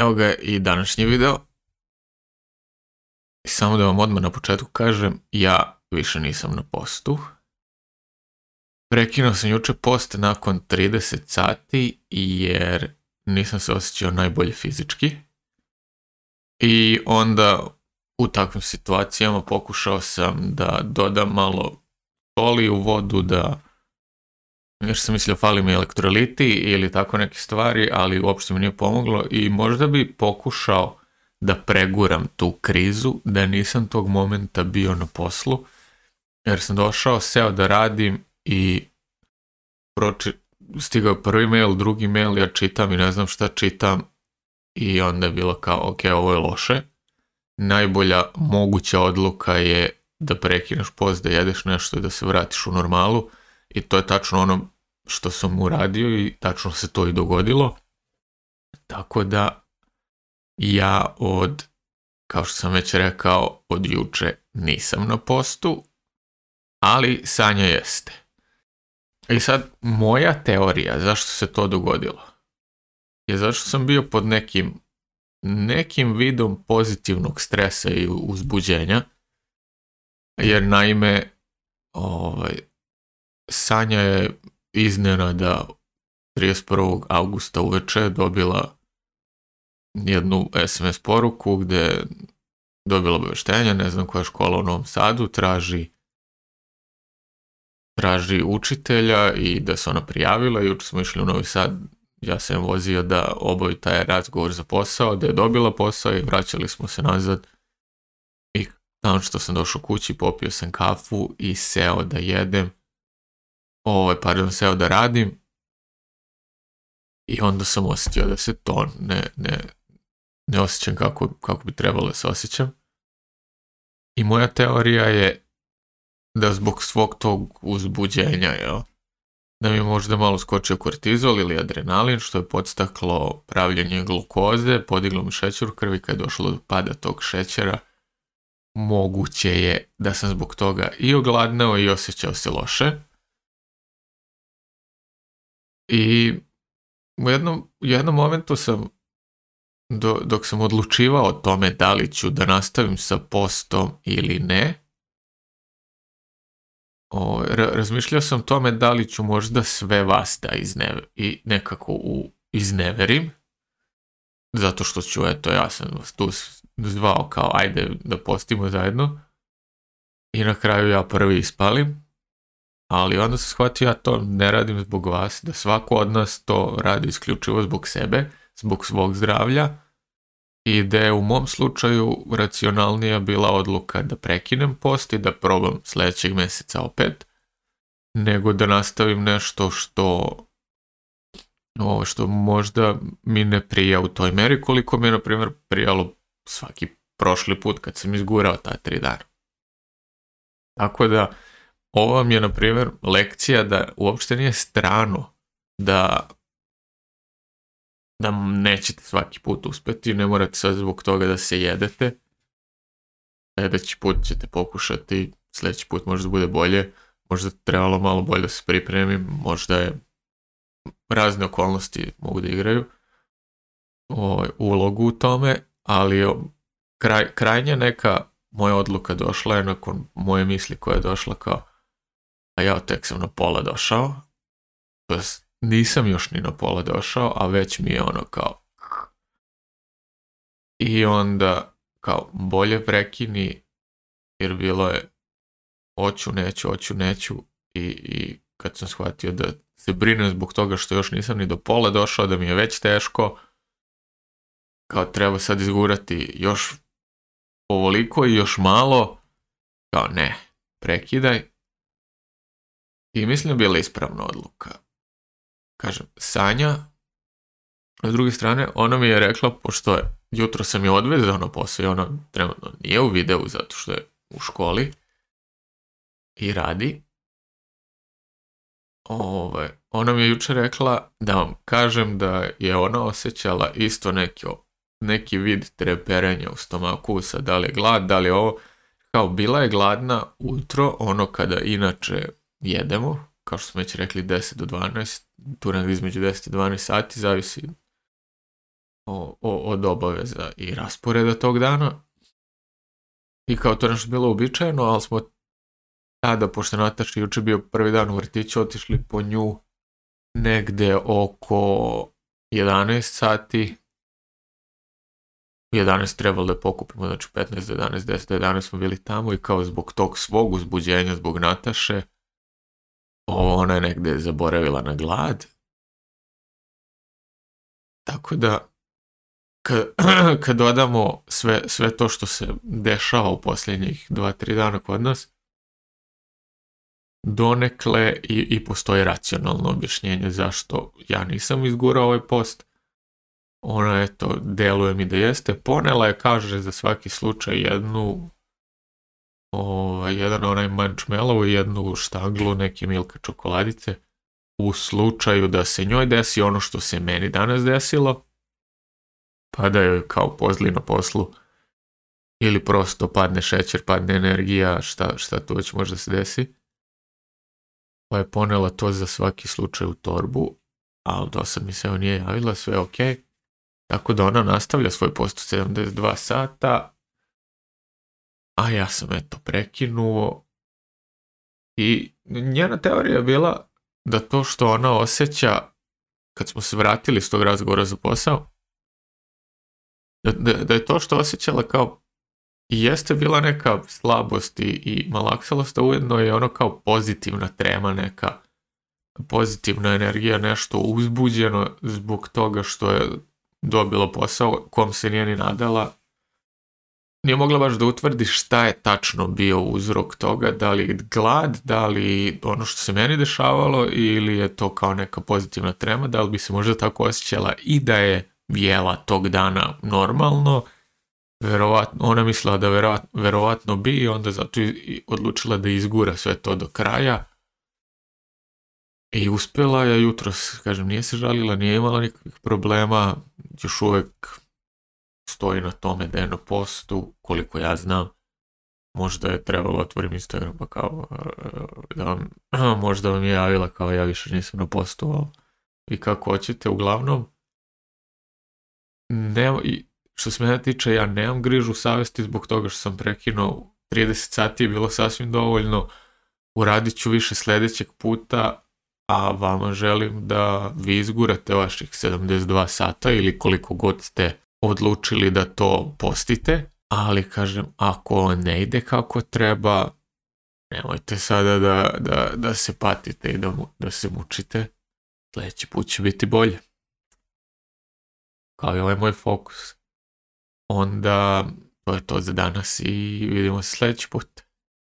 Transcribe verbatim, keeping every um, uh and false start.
Evo ga i današnji video. Samo da vam odmah na početku kažem, ja više nisam na postu. Prekinuo sam juče post nakon trideset sati jer nisam se osjećao najbolje fizički. I onda u takvim situacijama pokušao sam da dodam malo soli u vodu, da još sam mislio fali mi elektroliti ili tako neke stvari, ali uopšte mi nije pomoglo i možda bi pokušao da preguram tu krizu, da nisam tog momenta bio na poslu, jer sam došao, seo da radim i proči, stigao je prvi mail, drugi mail, ja čitam i ne znam šta čitam i onda je bilo kao, ok, ovo je loše. Najbolja moguća odluka je da prekineš post, da jedeš nešto i da se vratiš u normalu i to je tačno ono što sam uradio i tačno se to i dogodilo. Tako da ja od, kao što sam već rekao, od juče nisam na postu, ali Sanja jeste. I sad, moja teorija zašto se to dogodilo je zašto sam bio pod nekim nekim vidom pozitivnog stresa i uzbuđenja, jer naime ovaj, Sanja je iznenada trideset prvog avgusta uveče dobila jednu es em es poruku gde je dobila obaveštenje, ne znam koja škola u Novom Sadu, traži traži učitelja i da se ona prijavila. Juče smo išli u Novi Sad, ja sam vozio da obavi taj razgovor za posao, da je dobila posao i vraćali smo se nazad. I nakon što sam došao kući, popio sam kafu i seo da jedem, ovaj, pardon, seo da radim i onda sam osjetio da se to ne, ne, ne osjećam kako, kako bi trebalo da se osjećam. I moja teorija je da zbog svog tog uzbuđenja, jel, da mi je možda malo skočio kortizol ili adrenalin, što je podstaklo pravljenje glukoze, podiglo mi šećer u krvi, kad je došlo do pada tog šećera, moguće je da sam zbog toga i ogladneo i osjećao se loše. I u jednom, u jednom momentu sam, do, dok sam odlučivao o tome da li ću da nastavim sa postom ili ne, O, razmišljao sam o tome da li ću možda sve vas da iznever, i nekako u, izneverim, zato što ću, eto, ja sam vas tu zvao kao ajde da postimo zajedno i na kraju ja prvi ispalim, ali onda sam shvatio ja to ne radim zbog vas, da svako od nas to radi isključivo zbog sebe, zbog svog zdravlja i da je u mom slučaju racionalnija bila odluka da prekinem post i da probam sledećeg meseca opet, nego da nastavim nešto što, ovo, što možda mi ne prija u toj meri koliko mi je, na primjer, prijalo svaki prošli put kad sam izgurao ta tri dana. Tako da, ovo vam je, na primjer, lekcija da uopšte nije strano da da nećete svaki put uspeti, ne morate sad zbog toga da se jedete. Sledeći put ćete pokušati, sledeći put možda bude bolje, možda trebalo malo bolje da se pripremim, možda je razne okolnosti mogu da igraju o, ulogu u tome, ali kraj, krajnja neka moja odluka došla je nakon moje misli koja je došla kao, a ja tek sam na pola došao, to jest nisam još ni na pola došao, a već mi je ono kao i onda kao bolje prekini, jer bilo je hoću, neću, hoću, neću i, i kad sam shvatio da se brinem zbog toga što još nisam ni do pola došao, da mi je već teško, kao treba sad izgurati još ovoliko i još malo, kao ne, prekidaj. I mislim da je bila ispravna odluka. Kažem, Sanja, s druge strane, ona mi je rekla, pošto je, jutro sam je odvezao na posao i ona trenutno nije u videu zato što je u školi i radi. Ove, ona mi je juče rekla da vam kažem da je ona osjećala isto neki, neki vid treperenja u stomaku, sad da li je glad, da li je ovo, kao bila je gladna ujutro, ono kada inače jedemo, kao što smo već rekli deset do dvanaest, tu negdje između deset i dvanaest sati, zavisi o, o, od obaveza i rasporeda tog dana. I kao to nešto bilo uobičajeno, ali smo tada, pošto Nataša juče bio prvi dan u vrtiću, otišli po nju negde oko jedanaest sati. U jedanaest trebalo da pokupimo, znači petnaest do jedanaest, deset do jedanaest smo bili tamo i kao zbog tog svog uzbuđenja, zbog Nataše, ona je negde zaboravila na glad. Tako da, kad, kad dodamo sve, sve to što se dešava u posljednjih dva tri dana kod nas, donekle i, i postoji racionalno objašnjenje zašto ja nisam izgurao ovaj post. Ona, eto, deluje mi da jeste. Ponela je, kaže, za svaki slučaj jednu, ovaj, jedan onaj mančmelovu i jednu štanglu neke Milka čokoladice u slučaju da se njoj desi ono što se meni danas desilo, pa da joj kao pozli na poslu ili prosto padne šećer, padne energija, šta, šta tu već može da se desi. Pa je ponela to za svaki slučaj u torbu, ali do sad mi se evo nije javila, sve je okej. Okay. Tako da ona nastavlja svoj post u sedamdeset dva sata, a ja sam eto prekinuo i njena teorija je bila da to što ona osjeća kad smo se vratili s tog razgovora za posao, da, da, da je to što osjećala kao i jeste bila neka slabost i, i malaksalost, a ujedno je ono kao pozitivna trema, neka pozitivna energija, nešto uzbuđeno zbog toga što je dobila posao kom se nije ni nadala. Nije mogla baš da utvrdi šta je tačno bio uzrok toga, da li glad, da li ono što se meni dešavalo ili je to kao neka pozitivna trema, da li bi se možda tako osjećala i da je jela tog dana normalno. Verovatno, ona mislila da verovatno, verovatno bi i onda zato i odlučila da izgura sve to do kraja. I uspjela je jutros, kažem, nije se žalila, nije imala nikakvih problema, još uvek stoji na tome da je na postu, koliko ja znam. Možda je trebalo otvorim Instagram pa kao da vam, možda vam je javila kao ja više nisam na postu, ali i kako hoćete, uglavnom nema, što se mene tiče, ja nemam grižu savesti zbog toga što sam prekinuo. trideset sati je bilo sasvim dovoljno, uradit ću više sljedećeg puta, a vama želim da vi izgurate vaših sedamdeset dva sata ili koliko god ste odlučili da to postite, ali kažem, ako ne ide kako treba, nemojte sada da, da, da se patite i da, da se mučite, sljedeći put će biti bolje. Kao je ovaj moj fokus. Onda to je to za danas i vidimo se sljedeći put.